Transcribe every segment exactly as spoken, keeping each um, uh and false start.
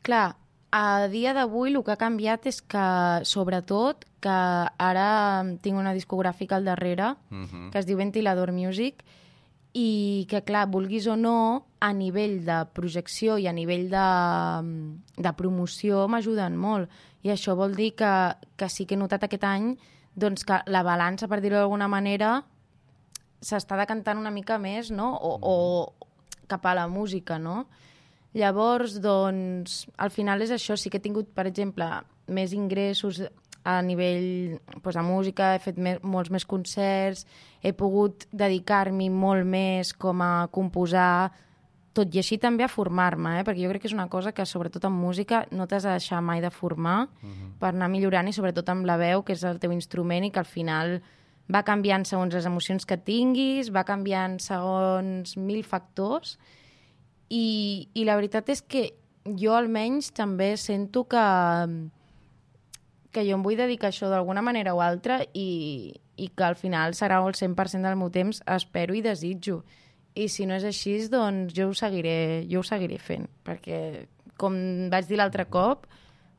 clar, a dia d'avui el que ha canviat és que, sobretot, que ara tinc una discogràfica al darrere, uh-huh. que es diu Ventilador Music, i que, clar, vulguis o no, a nivell de projecció i a nivell de, de promoció m'ajuden molt. I això vol dir que, que sí que he notat aquest any doncs, que la balança, per dir-ho d'alguna manera, s'està decantant una mica més, no? O, uh-huh. o cap a la música, no? Llavors, doncs, al final és això. Sí que he tingut, per exemple, més ingressos a nivell doncs, de música, he fet més, molts més concerts, he pogut dedicar-m'hi molt més com a composar, tot i així també a formar-me, eh? Perquè jo crec que és una cosa que, sobretot en música, no t'has de deixar mai de formar uh-huh. per anar millorant, i sobretot amb la veu, que és el teu instrument, i que al final va canviant segons les emocions que tinguis, va canviant segons mil factors, i, i la veritat és que jo almenys també sento que que jo em vull dedicar a això d'alguna manera o altra, i, i que al final serà el cent per cent del meu temps, espero i desitjo. I si no és així, doncs jo ho seguiré, jo ho seguiré fent, perquè, com vaig dir l'altre cop,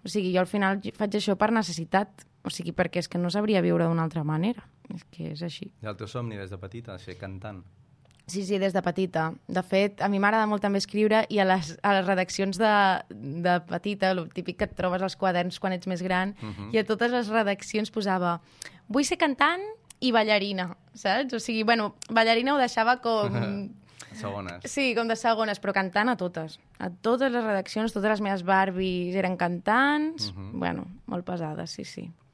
o sigui, jo al final faig això per necessitat, o sigui, perquè és que no sabria viure d'una altra manera, és que és així. I el teu somni des de petita, ser cantant? Sí, sí, des de petita. De fet, a mi m'agrada molt també escriure, i a les, a les redaccions de, de petita, el típic que et trobes als quaderns quan ets més gran, uh-huh. i a totes les redaccions posava vull ser cantant i ballarina, saps? O sigui, bueno, ballarina ho deixava com... Segones. Sí, com de segones, però cantant a totes. A totes les redaccions, totes les meves Barbies eren cantants, uh-huh. bueno, molt pesades, sí, sí.